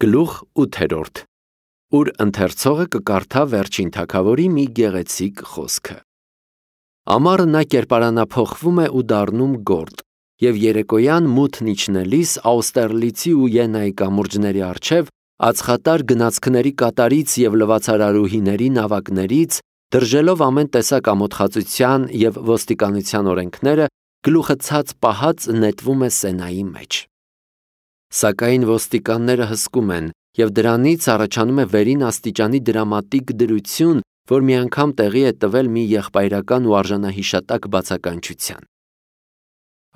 Գլուխ 8, ուր ընթերցողը կկարդա Վերջին թագավորի մի գեղեցիկ խոսքը։ Ամառը նա կերպարանափոխվում է ու դառնում գորտ, և երեկոյան մութն իջնելիս Աուստերլիցի ու Յենայի կամուրջների առջև ածխատար գնացքների կատարից և լվացարարուհիների նավակներից, դրժելով ամեն տեսակ ամոթխածության և ոստիկանության օրենքները, գլուխը ցած պահած նետվում է Սենայի մեջ։ Սակայն ոստիկանները հսկում են, և դրանից առաջանում է վերին աստիճանի դրամատիկ դրություն, որ մի անգամ տեղի է տվել մի եղբայրական ու արժանահիշատակ բացականչության։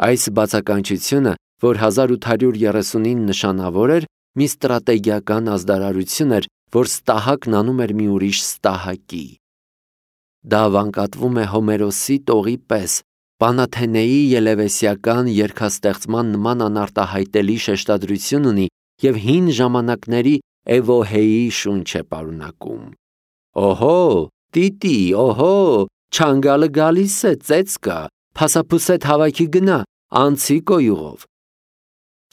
Այս բացականչությունը, որ 1839 նշանավոր էր, մի ստրատեգիական ազդարարություն էր, որ Ստահակն անում էր մի ուրիշ Ստահակի։ Դա վանկատվում է Հոմերոսի տողի պես, Պանաթենեի ելևեսիական երգաստեղծման նման անարտահայտելի շեշտադրություն ունի և հին ժամանակների Էվոհեի շունչ է պարունակում։ Օհո, տիտի, օհո, չանգալը գալիս է, ծեծ կա, փասափուսեդ հավաքի գնա, անցի կոյուղով։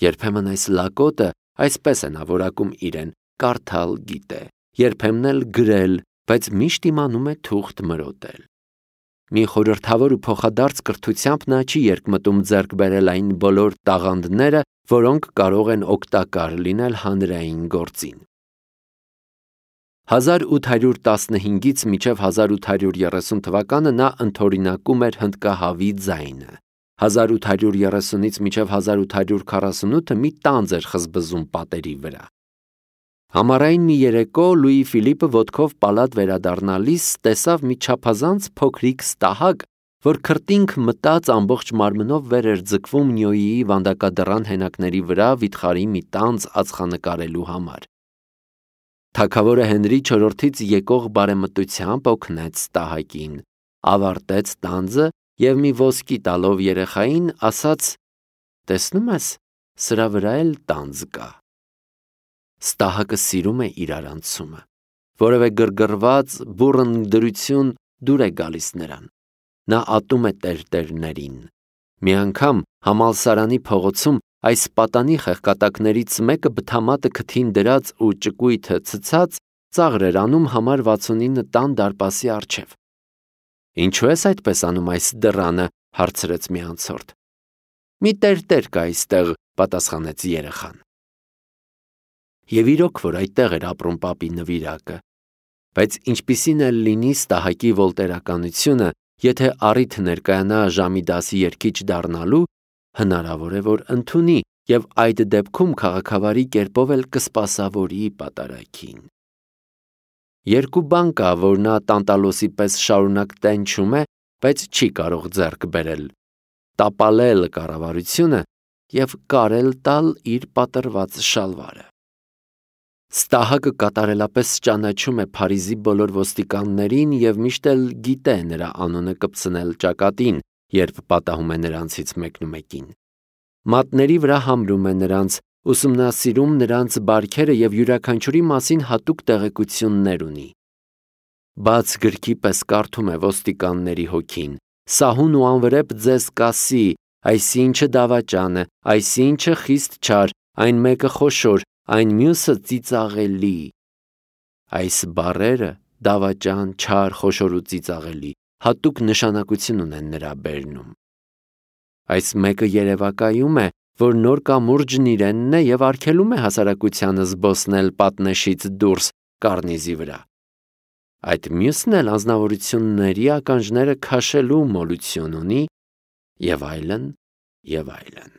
Երբեմն այս լակոտը, այսպես է նա որակում իրեն, կարդալ գիտե, երբեմն էլ գրել, բայց միշտ իմանում է թուղթ մրոտել։ Մի խորհրդավոր ու փոխադարձ կրթությամբ նա չի երկմտում ձեռք բերել այն բոլոր տաղանդները, որոնք կարող են օգտակար լինել հանրային գործին։ 1815-ից մինչև 1830 թվականը նա ընդօրինակում էր հնդկահավի ձայնը, 1830-ից մինչև 1848-ը մի տանձ էր խզբզում պատերի վրա։ Համառային մի երեկո Լուի Ֆիլիպը ոտքով պալատ վերադառնալիս տեսավ մի չափազանց փոքրիկ Ստահակ, որ քրտինք մտած ամբողջ մարմնով վեր էր ձգվում Նյոյիի վանդակադռան հենակների վրա վիթխարի մի տանձ ածխանկարելու համար։ Թագավորը Հենրի IV-ից եկող բարեմտությամբ օգնեց Ստահակին, ավարտեց տանձը և մի ոսկի տալով երեխային, ասաց. «Տեսնում ես, սրա վրա էլ տանձ կա»։ Ստահակը սիրում է իր արանցումը, որևէ գրգռված բուռն դրություն դուր է գալիս նրան։ Նա ատում է տերտերներին։ Մի անգամ համալսարանի փողոցում այս պատանի խեղկատակներից մեկը բթամատը քթին դրած ու ճկույթը ցցած ծաղր էր անում համար 69 տան դարպասի առջև։ «Ինչու ես այդպես անում այս դռանը», հարցրեց մի անցորդ։ «Մի տերտեր կա այստեղ», պատասխանեց երեխան։ Եվ իրոք, որ այդտեղ էր ապրում պապի նվիրակը։ Բայց ինչպիսին էլ լինի Ստահակի վոլտերականությունը, եթե առիթ ներկայանա ժամի 10-ի երգիչ դառնալու, հնարավոր է, որ ընդունի և այդ դեպքում քաղաքավարի կերպով էլ կսպասավորի պատարագին։ Երկու բան կա, որ նա տանտալոսի պես շարունակ տենչում է, բայց չի կարող ձեռք բերել՝ տապալել կառավարությունը և կարել տալ իր պատռված շալվարը։ Ստահակը կատարելապես ճանաչում է Փարիզի բոլոր ոստիկաններին և միշտ էլ գիտե նրա անունը կպցնել ճակատին, երբ պատահում է նրանցից մեկնումեկին։ Մատների վրա համրում է նրանց, ուսումնասիրում նրանց բարքերը և յուրաքանչյուրի մասին հատուկ տեղեկություններ ունի։ Բաց գրքի պես կարդում է ոստիկանների հոգին. «Սահուն ու անվրեպ ձեզ կասի, այսինչը դավաճան է, այսինչը խիստ չար, այն մեկը խոշոր, այն մյուսը ծիծաղելի»։ Այս բառերը՝ դավաճան, չար, խոշոր ու ծիծաղելի, հատուկ նշանակություն ունեն նրա բերնում։ Այս մեկը երևակայում է, որ նոր կամուրջն իրենն է և արգելում է հասարակությանը զբոսնել պատնեշից դուրս կառնիզի վրա։ Այդ մյուսն էլ անձնավորությունների ականջները քաշելու մոլություն ունի, և այլն, և այլն։